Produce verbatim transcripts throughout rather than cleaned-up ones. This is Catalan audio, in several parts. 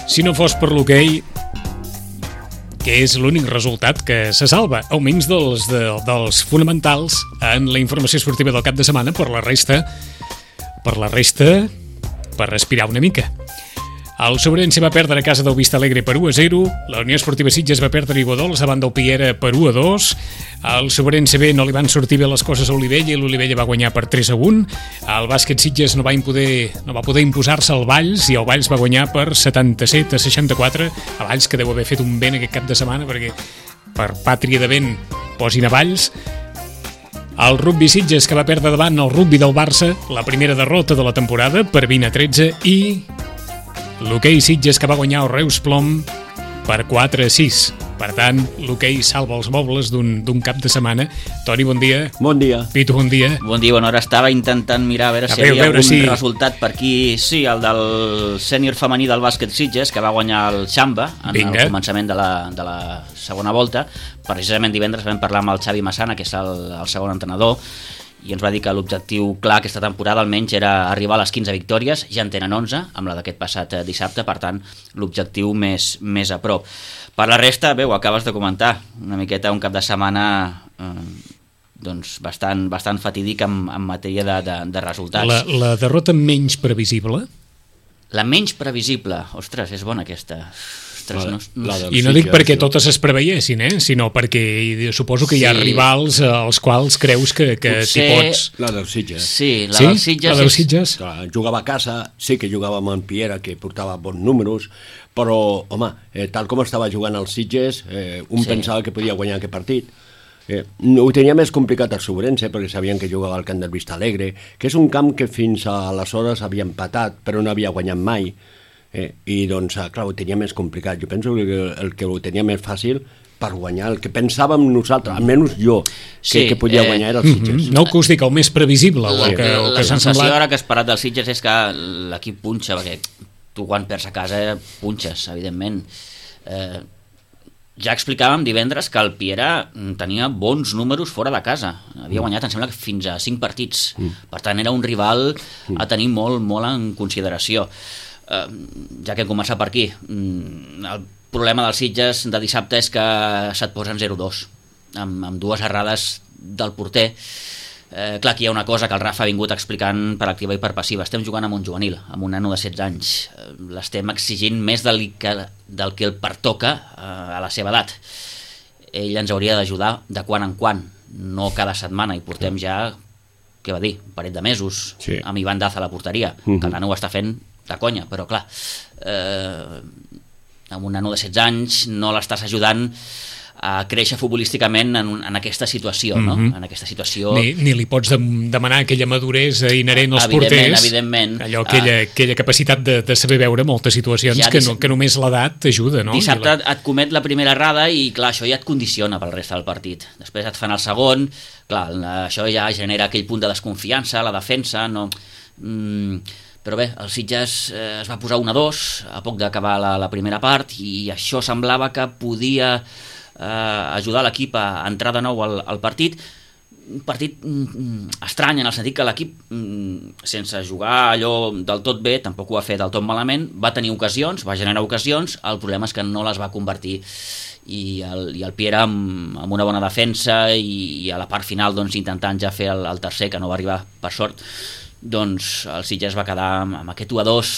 Si no fos per l'hoquei, que és l'únic resultat que se salva, almenys dels, de, dels fonamentals en la informació esportiva del cap de setmana, per la resta, per la resta, per respirar una mica. El Sobrense va perdre a casa del Vista Alegre per u a zero, la Unió Esportiva Sitges va perdre a Iguadols davant del Piera per u a dos, al Sobrense B no li van sortir bé les coses a Olivella i l'Olivella va guanyar per tres a un, el bàsquet Sitges no va, impoder, no va poder imposar-se al Valls i el Valls va guanyar per setanta-set a seixanta-quatre, el Valls que deu haver fet un vent aquest cap de setmana perquè per pàtria de vent posin a Valls. El rugby Sitges que va perdre davant el rugby del Barça, la primera derrota de la temporada per vint a tretze, i l'hoquei Sitges que va guanyar el Reus Plom per quatre a sis. Per tant, l'hoquei salva els mobles d'un d'un cap de setmana. Toni, bon dia. Bon dia. Pitu, bon dia. Bon dia, bona hora. Estava intentant mirar a veure a si hi havia algun si... resultat per aquí. Sí, el del sènior femení del bàsquet Sitges, que va guanyar el Xamba en Vinga. El començament de la, de la segona volta. Precisament divendres vam parlar amb el Xavi Massana, que és el, el segon entrenador, i ens va dir que l'objectiu clar aquesta temporada almenys era arribar a les quinze victòries, ja en tenen onze, amb la d'aquest passat dissabte, per tant l'objectiu més, més a prop. Per la resta, bé, ho acabes de comentar, una miqueta un cap de setmana eh, doncs bastant, bastant fatídic en, en matèria de, de, de resultats. La, la derrota menys previsible? La menys previsible, ostres, és bona aquesta. La, no, no, I no dic perquè totes es preveiessin, eh? Sinó perquè suposo que hi ha sí. rivals als quals creus que, que Potser... t'hi pots... La del Sitges. Sí, la sí? del Sitges. La del Sitges? És... Clar, jugava a casa, sí que jugava amb en Piera, que portava bons números, però, home, eh, tal com estava jugant el Sitges, eh, un sí. pensava que podia guanyar aquest partit. Eh, ho tenia més complicat el Sobrense, perquè sabien que jugava al camp del Vista Alegre, que és un camp que fins aleshores havia empatat, però no havia guanyat mai. Eh, i doncs, clar, ho tenia més complicat. Jo penso que el que ho tenia més fàcil per guanyar, el que pensàvem nosaltres, almenys jo, que, sí, que podia eh, guanyar era el Sitges. Mm-hmm. No que us dic el més previsible, o el que, la, el que la s'ha sensació semblat... ara que has parat del Sitges és que l'equip punxa, perquè tu quan perds a casa punxes, evidentment. Eh, ja explicàvem divendres que el Piera tenia bons números fora de casa, havia guanyat, em sembla que fins a cinc partits, mm. per tant era un rival a tenir molt, molt en consideració. Uh, ja que hem començat per aquí, el problema dels Sitges de dissabte és que se't posen zero dos amb, amb dues errades del porter. Uh, clar, aquí hi ha una cosa que el Rafa ha vingut explicant per activa i per passiva. Estem jugant amb un juvenil, amb un nano de setze anys, uh, l'estem exigint més del que, del que el pertoca uh, a la seva edat. Ell ens hauria d'ajudar de quan en quan, no cada setmana, i portem ja, què va dir, un parell de mesos sí. amb Ivan Daz a la porteria, uh-huh. que el nano ho està fent de conya, però clar, eh, amb un nano de setze anys no l'estàs ajudant a créixer futbolísticament en, un, en aquesta situació, mm-hmm. no? En aquesta situació... Ni, ni li pots de, demanar aquella maduresa inherent als evidentment, porters, evidentment. allò, aquella, uh, aquella capacitat de, de saber veure moltes situacions ja que, no, que només l'edat t'ajuda, no? Dissabte la... et comet la primera errada i clar, això ja et condiciona pel reste del partit. Després et fan el segon, clar, això ja genera aquell punt de desconfiança, la defensa, no... Mm, però bé, el Sitges eh, es va posar un a dos a poc d'acabar la, la primera part i això semblava que podia eh, ajudar l'equip a entrar de nou al, al partit. Un partit mm, estrany en el sentit que l'equip, mm, sense jugar allò del tot bé, tampoc ho va fer del tot malament, va tenir ocasions, va generar ocasions, el problema és que no les va convertir i el, i el Piera amb, amb una bona defensa i, i a la part final doncs, intentant ja fer el, el tercer, que no va arribar per sort, doncs el Sitges va quedar amb aquest u a dos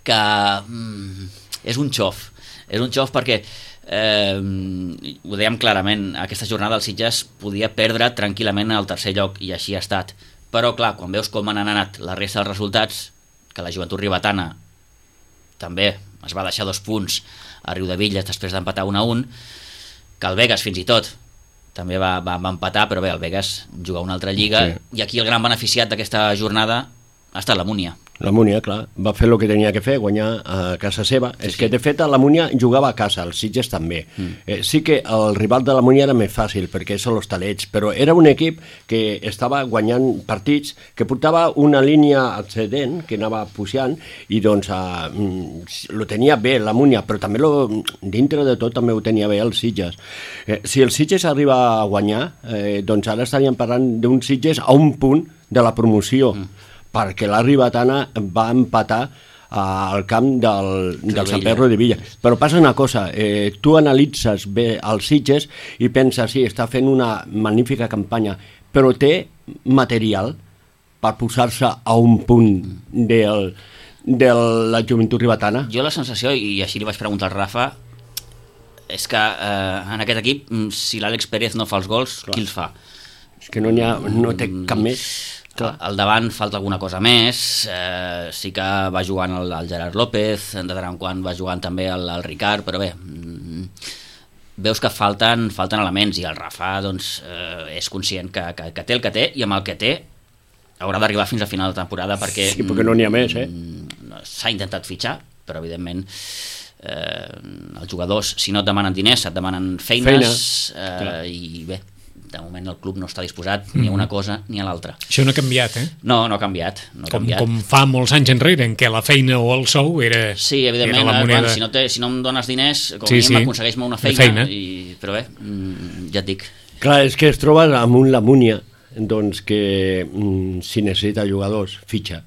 que mm, és un xof és un xof perquè eh, ho dèiem clarament, aquesta jornada el Sitges podia perdre tranquil·lament el tercer lloc i així ha estat, però clar, quan veus com han anat la resta dels resultats, que la Joventut Ribetana també es va deixar dos punts a Riudevilles després d'empatar un a un, que el Begues fins i tot també va, va, va empatar, però bé, el Begues juga una altra lliga, sí. I aquí el gran beneficiat d'aquesta jornada ha estat la Múnia. La Múnia, clar, va fer el que tenia que fer, guanyar a casa seva. Sí, és sí. que, de fet, la Múnia jugava a casa, el Sitges també. Mm. Eh, sí que el rival de la Múnia era més fàcil, perquè són els Talets, però era un equip que estava guanyant partits, que portava una línia ascendent, que anava pujant, i doncs eh, lo tenia bé la Múnia, però també lo, dintre de tot també ho tenia bé el Sitges. Eh, si el Sitges arriba a guanyar, eh, doncs ara estaríem parlant d'un Sitges a un punt de la promoció, mm. perquè la Ribetana va empatar al camp del, del Sant Pedro de Villa. Però passa una cosa, eh, tu analitzes bé els Sitges i penses, sí, està fent una magnífica campanya, però té material per posar-se a un punt del, de la joventut ribetana? Jo la sensació, i així li vaig preguntar al Rafa, és que eh, en aquest equip, si l'Àlex Pérez no fa els gols, clar, qui els fa? És que no, ha, no té cap més. Clar. Al davant falta alguna cosa més, eh, sí que va jugant el, el Gerard López, de tant en quant va jugant també el, el Ricard, però bé, veus que falten, falten elements, i el Rafa doncs, eh, és conscient que, que, que té el que té, i amb el que té haurà d'arribar fins a final de temporada, perquè, sí, perquè no n'hi ha més, eh? S'ha intentat fitxar, però evidentment eh, els jugadors, si no et demanen diners, et demanen feines, Feina. eh, i bé, de moment el club no està disposat ni a una cosa ni a l'altra. Això no ha canviat, eh? No, no ha canviat. No ha com, canviat. com fa molts anys enrere, en què la feina o el sou era, sí, evidentment, era la moneda. Quan, si, no te, si no em dones diners, com sí, a mínim sí. aconsegueix-me una feina, feina. I, però bé, ja et dic. Clar, és que es troba amb un Lamúnia doncs que mm, si necessita jugadors, fitxa,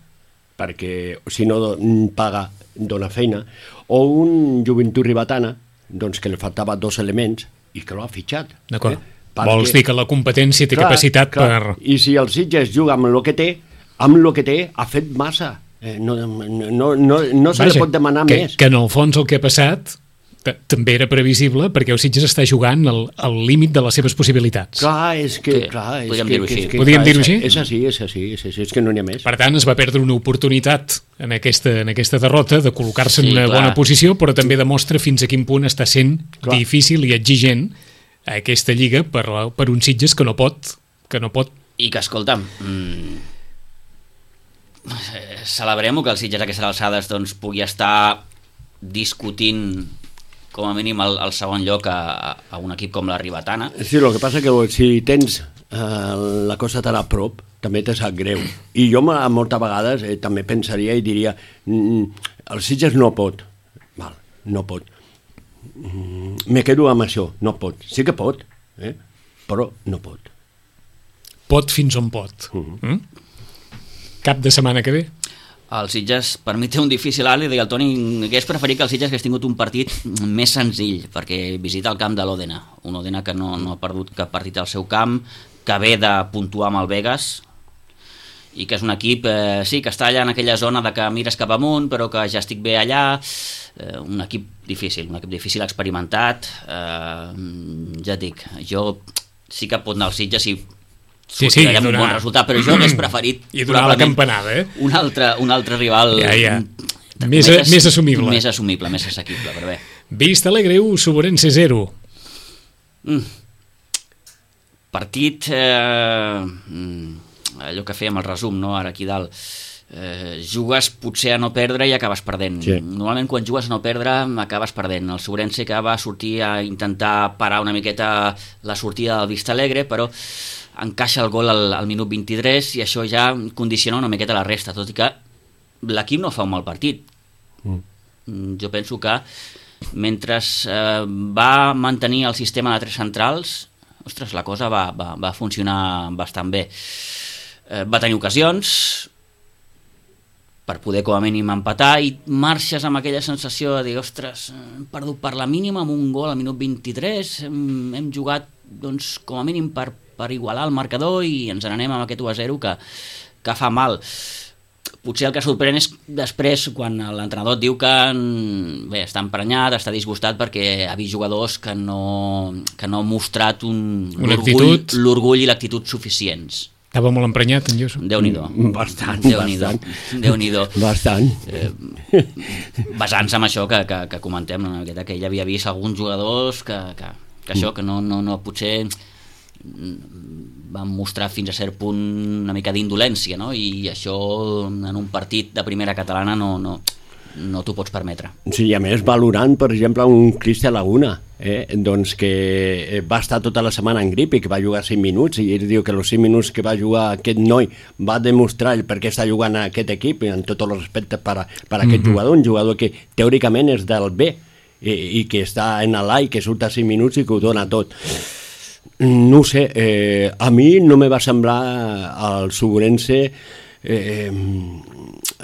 perquè si no paga, dona feina, o un Joventut Ribetana, doncs que li faltava dos elements i que l'ha fitxat. D'acord. Eh? Perquè, vols dir que la competència té clar, capacitat clar. per... I si el Sitges juga amb el que té, amb el que té ha fet massa. Eh, no no, no, no se li pot demanar que, més. Que en el fons el que ha passat també era previsible, perquè el Sitges està jugant al, al límit de les seves possibilitats. Clar, és que... Sí, clar, és podríem que, dir-ho així. Que, que, podríem clar, dir-ho així? És així, és així, és així, és que no n'hi ha més. Per tant, es va perdre una oportunitat en aquesta, en aquesta derrota de col·locar-se sí, en una clar. bona posició, però també demostra fins a quin punt està sent clar. difícil i exigent a aquesta lliga per, per un Sitges que no pot, que no pot. I que, escolta'm, mmm, celebrem-ho que el Sitges a aquestes alçades doncs, pugui estar discutint com a mínim el, el segon lloc a, a un equip com la Ribetana. Sí, el que passa que si tens eh, la cosa tan a prop, també te sap greu. I jo moltes vegades eh, també pensaria i diria mm, el Sitges no pot. Val, no pot. Mm, me quedo amb això, no pot. Sí que pot, eh? Però no pot. Pot fins on pot. Uh-huh. Mm? Cap de setmana que ve? El Sitges, per mi té un difícil alt, i deia el Toni, hagués preferit que el Sitges hagués tingut un partit més senzill, perquè visita el camp de l'Òdena, un Òdena que no, no ha perdut cap partit al seu camp, que ve de puntuar amb el Vegas, i que és un equip, eh, sí, que està allà en aquella zona de que mires cap amunt, però que ja estic bé allà, eh, un equip difícil, un equip difícil experimentat, eh, ja et dic, jo sí que pot anar al Sitges i sí, sí, donar un bon resultat, però jo hauria preferit i donar la campanada, eh? un altre, un altre rival ja, ja. Més, més, a, més assumible més assumible, més assequible, però bé. Vista Alegre u, Sobrense zero. mm. Partit eh, allò que fèiem el resum, no? Ara aquí dalt, eh, jugues potser a no perdre i acabes perdent. Sí. Normalment quan jugues a no perdre acabes perdent. El Sobrense que va sortir a intentar parar una miqueta la sortida del Vista Alegre, però encaixa el gol al, al minut vint-i-tres i això ja condiciona una miqueta la resta, tot i que l'equip no fa un mal partit. Mm. Jo penso que mentre eh, va mantenir el sistema de tres centrals, ostres, la cosa va, va, va funcionar bastant bé. Eh, va tenir ocasions per poder com a mínim empatar i marxes amb aquella sensació de dir, ostres, hem perdut per la mínima amb un gol al minut vint-i-tres, hem, hem jugat doncs, com a mínim per per igualar el marcador i ens n'anem amb aquest u a zero que, que fa mal. Potser el que sorprèn és després quan l'entrenador et diu que bé, està emprenyat, està disgustat perquè ha vist jugadors que no, que no han mostrat un, l'orgull, l'orgull i l'actitud suficients. Estava molt emprenyat, en Josu? Déu-n'hi-do. Bastant, Déu-n'hi-do. bastant. Déu-n'hi-do. Bastant. Eh, basant-se en això que, que, que comentem, no? Que ell havia vist alguns jugadors que, que, que això, que no, no, no potser van mostrar fins a cert punt una mica d'indolència, no? I això en un partit de primera catalana no, no, no t'ho pots permetre. Sí, i a més valorant, per exemple, un Cristian Laguna, eh? doncs que va estar tota la setmana en grip i que va jugar cinc minuts, i ell diu que els cinc minuts que va jugar aquest noi va demostrar el per què està jugant a aquest equip, i en tots els respectes per, per a aquest mm-hmm. jugador, un jugador que teòricament és del B i, i que està en l'A i que surt a cinc minuts i que ho dona tot. No ho sé, eh, a mi no me va semblar el Sobrense eh,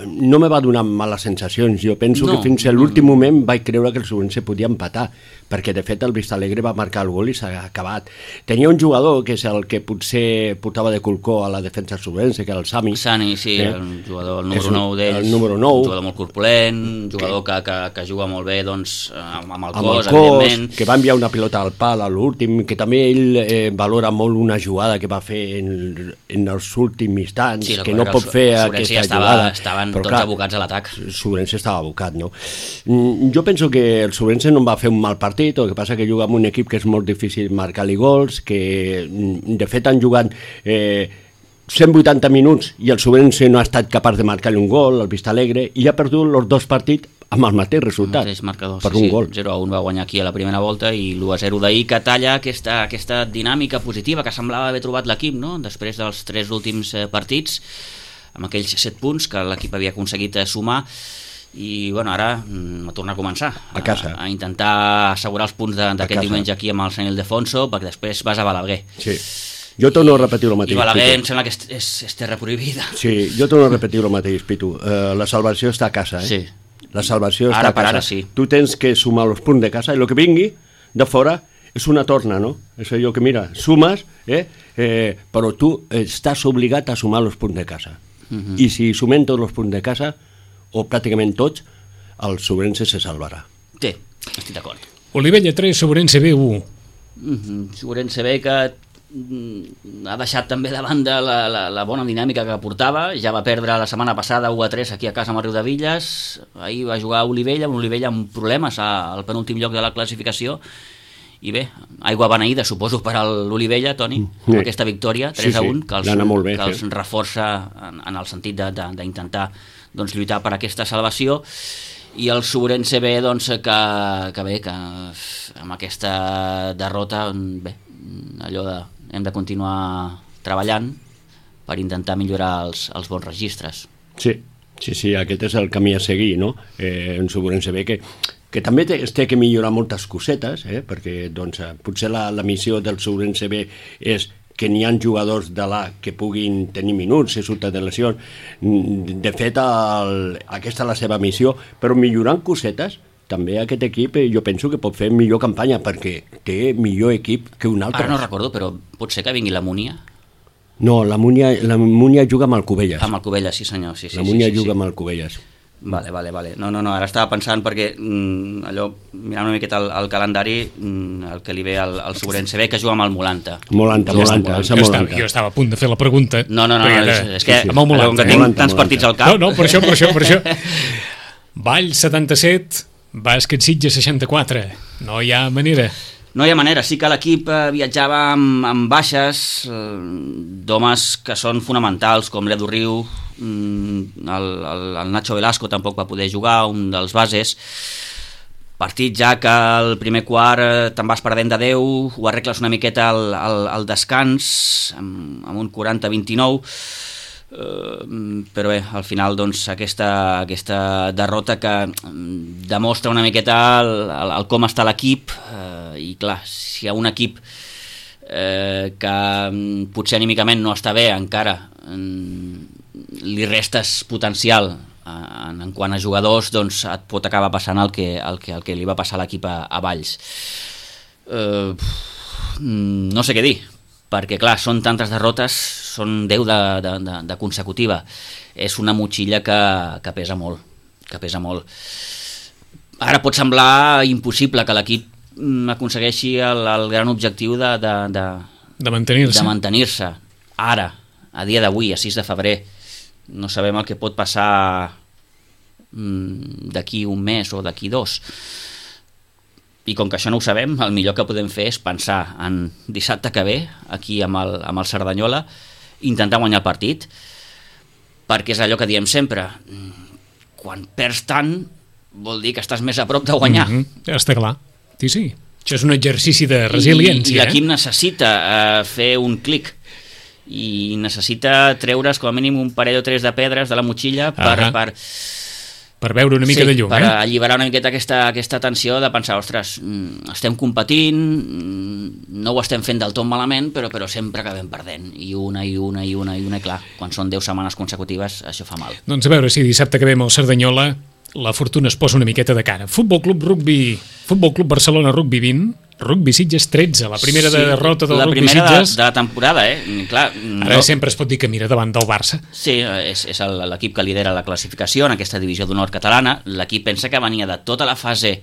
no me va donar males sensacions. Jo penso no, que fins a l'últim no, moment vaig creure que el Subrense podia empatar, perquè de fet el Vistalegre va marcar el gol i s'ha acabat. Tenia un jugador que és el que potser portava de colcó a la defensa del Subrense, que era el Sami. Sani, sí, eh? el jugador, el número nou d'ells. El número nou. Un jugador molt corpulent, un jugador que, que, que juga molt bé doncs, amb, amb el amb cos, el cos, evidentment. Que va enviar una pilota al pal a l'últim, que també ell eh, valora molt una jugada que va fer en, en els últims instants, sí, que no pot fer aquesta ja estava, jugada. Estaven però, tots clar, abocats a l'atac. Subrense estava abocat, no? Jo penso que el Subrense no va fer un mal partit, el que passa que juga amb un equip que és molt difícil marcar-li gols, que de fet han jugat eh, cent vuitanta minuts i el Subrense no ha estat capaç de marcar-li un gol, el Vistalegre, i ha perdut els dos partits amb el mateix resultat, el mateix marcador, per sí, un sí. gol. zero a un va guanyar aquí a la primera volta i l'u a zero d'ahir, que talla aquesta, aquesta dinàmica positiva que semblava haver trobat l'equip, no? Després dels tres últims eh, partits, amb aquells set punts que l'equip havia aconseguit eh, sumar, i bueno, ara a tornar a començar a casa, a, a intentar assegurar els punts d'aquest diumenge aquí amb el Sant Ildefonso, perquè després vas a Balaguer. Sí. Jo torno a repetir el mateix. I Balaguer em sembla que és, és, és terra prohibida. Sí, jo torno a repetir el mateix, Pitu. Uh, la salvació està a casa, eh? Sí. La salvació ara està a casa. Ara sí. Tu tens que sumar els punts de casa i el que vingui de fora és una torna, no? És allò que, mira, sumes, eh? Eh, però tu estàs obligat a sumar els punts de casa. Uh-huh. I si sumem tots els punts de casa, o pràcticament tots, el Subrense se salvarà. Sí, estic d'acord. Olivella tres, Subrense B u. Mm-hmm. Subrense B que mm, ha deixat també de banda la, la, la bona dinàmica que portava, ja va perdre la setmana passada u a tres aquí a casa amb el Riudevilles, ahir va jugar a Olivella, un Olivella amb problemes al penúltim lloc de la classificació, i bé, aigua beneïda suposo per a l'Olivella, Toni, sí. Amb aquesta victòria tres a un, sí, sí. que els, bé, que els sí. reforça en, en el sentit d'intentar doncs, lluitar per aquesta salvació, i el Subrense B doncs, que, que bé, que amb aquesta derrota bé, allò de hem de continuar treballant per intentar millorar els, els bons registres. Sí, sí, sí, aquest és el camí a seguir, no? Eh, en Subrense B que que també té, té que millorar moltes cosetes, eh? Perquè doncs, potser la, la missió del Subrense B és que n'hi ha jugadors de l'A que puguin tenir minuts, si surten de lesions. De fet, el, aquesta és la seva missió, però millorant cosetes, també aquest equip jo penso que pot fer millor campanya, perquè té millor equip que un altre. Ara no recordo, però pot ser que vingui la Múnia? No, la Múnia, la Múnia juga amb el Cubelles. Amb el Cubelles, sí senyor. Sí, sí, la Múnia sí, sí, juga sí. amb el Cubelles. Vale, vale, vale. No, no, no, ara estava pensant perquè mm, allò, mirant una miqueta el, el calendari, mm, el que li ve al, al Subrense B, que juga amb el Molanta. Molanta, Molanta, jo, estava, jo estava a punt de fer la pregunta. No, no, no, no és, és que sí, sí. Amb el Molanta, que tinc Molanta, tants Molanta. partits al cap. No, no, per això, per això, per això. Vall setanta-set, Bàsquet Sitges seixanta-quatre. No hi ha manera. No hi ha manera, sí que l'equip eh, viatjava amb, amb baixes eh, d'homes que són fonamentals, com l'Edu Riu, mm, el, el, el Nacho Velasco tampoc va poder jugar, un dels bases. Partit ja que el primer quart eh, te'n vas perdent de deu, ho arregles una miqueta al, al, al descans, amb, amb un quaranta a vint-i-nou, Uh, però bé, al final doncs aquesta, aquesta derrota que um, demostra una miqueta el, el, el com està l'equip, uh, i clar, si hi ha un equip uh, que um, potser anímicament no està bé encara, um, li restes potencial uh, en, en quant a jugadors, doncs et pot acabar passant el que, el que, el que li va passar a l'equip a, a Valls. Uh, no sé què dir, perquè clar, són tantes derrotes, són deu de, de, de, de consecutiva, és una motxilla que, que pesa molt, que pesa molt. Ara pot semblar impossible que l'equip aconsegueixi el, el gran objectiu de, de, de, de mantenir-se. de mantenir-se. Ara, a dia d'avui, a sis de febrer, no sabem el que pot passar mmm, d'aquí un mes o d'aquí dos. I com que això no ho sabem, el millor que podem fer és pensar en dissabte que ve, aquí amb el, amb el Cerdanyola, intentar guanyar el partit, perquè és allò que diem sempre, quan perds tant vol dir que estàs més a prop de guanyar. Mm-hmm. Està clar, sí, sí. Això és un exercici de resiliència. I, i l'equip eh? necessita uh, fer un clic, i necessita treure's com a mínim un parell o tres de pedres de la motxilla per, uh-huh. per, per veure una mica sí, de llum. per eh? alliberar una miqueta aquesta, aquesta tensió de pensar, ostres, estem competint, no ho estem fent del tot malament, però, però sempre acabem perdent, i una, i una, i una, i una, i clar, quan són deu setmanes consecutives, això fa mal. Doncs a veure si dissabte que ve amb el Cerdanyola la fortuna es posa una miqueta de cara. Futbol Club Rugby, Futbol Club Barcelona Rugby vint, Rugby Sitges tretze, la primera sí, derrota del Rugby Sitges. La primera de, de la temporada, eh? Clar, ara no... sempre es pot dir que mira davant del Barça. Sí, és, és l'equip que lidera la classificació en aquesta divisió d'honor catalana. L'equip pensa que venia de tota la fase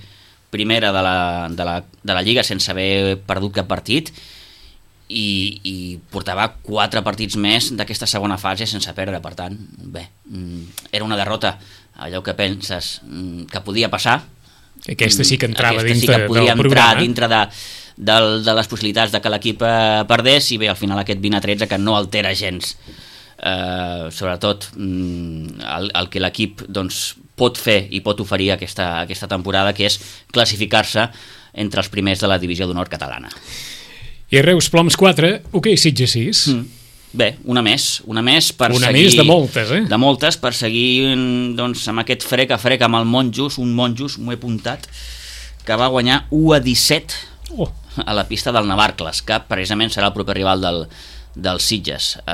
primera de la, de la, de la Lliga sense haver perdut cap partit i, i portava quatre partits més d'aquesta segona fase sense perdre. Per tant, bé, era una derrota, allò que penses que podia passar. Aquesta sí que entrava Aquesta dintre sí que podia del entrar programa. dintre de, de, de les possibilitats de que l'equip eh, perdés, i bé, al final aquest vint a tretze que no altera gens eh, sobretot mm, el, el que l'equip doncs, pot fer i pot oferir aquesta, aquesta temporada, que és classificar-se entre els primers de la divisió d'honor catalana. I Reus Ploms quatre, ok, Sitges sis. Mm. Bé, una més, una més per una seguir... més de moltes, eh? De moltes, per seguir doncs, amb aquest frec a frec amb el Monjos, un Monjos, m'ho he apuntat, que va guanyar u a disset oh. a la pista del Navarcles, que precisament serà el proper rival del, del Sitges eh,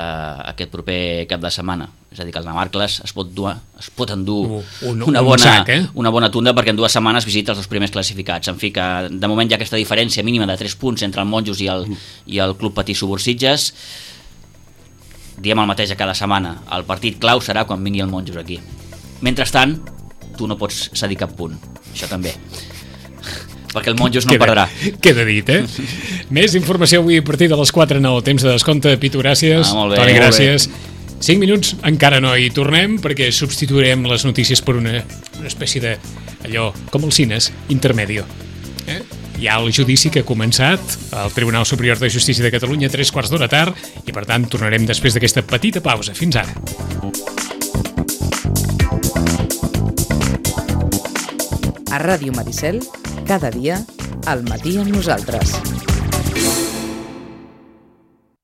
aquest proper cap de setmana. És a dir, que el Navarcles es pot, dur, es pot endur un, una, bona, un sac, eh? una bona tunda, perquè en dues setmanes visita els dos primers classificats. En fi, que de moment hi ha aquesta diferència mínima de tres punts entre el Monjos i el, i el Club Patí Subur Sitges. Diem el mateix a cada setmana, el partit clau serà quan vingui el Monjos aquí. Mentrestant, tu no pots cedir cap punt, això també, perquè el Monjos no queda, perdrà. Queda dit, eh? Més informació avui a partir de les quatre en el temps de descompte. Pitu, gràcies. Ah, molt bé, Toni, molt gràcies. cinc minuts, encara no hi tornem, perquè substituirem les notícies per una, una espècie de, allò, com els cines, intermedio. Eh? Hi ha el judici que ha començat al Tribunal Superior de Justícia de Catalunya a tres quarts d'hora tard, i per tant tornarem després d'aquesta petita pausa. Fins ara. A Ràdio Maricel, cada dia, al matí amb nosaltres.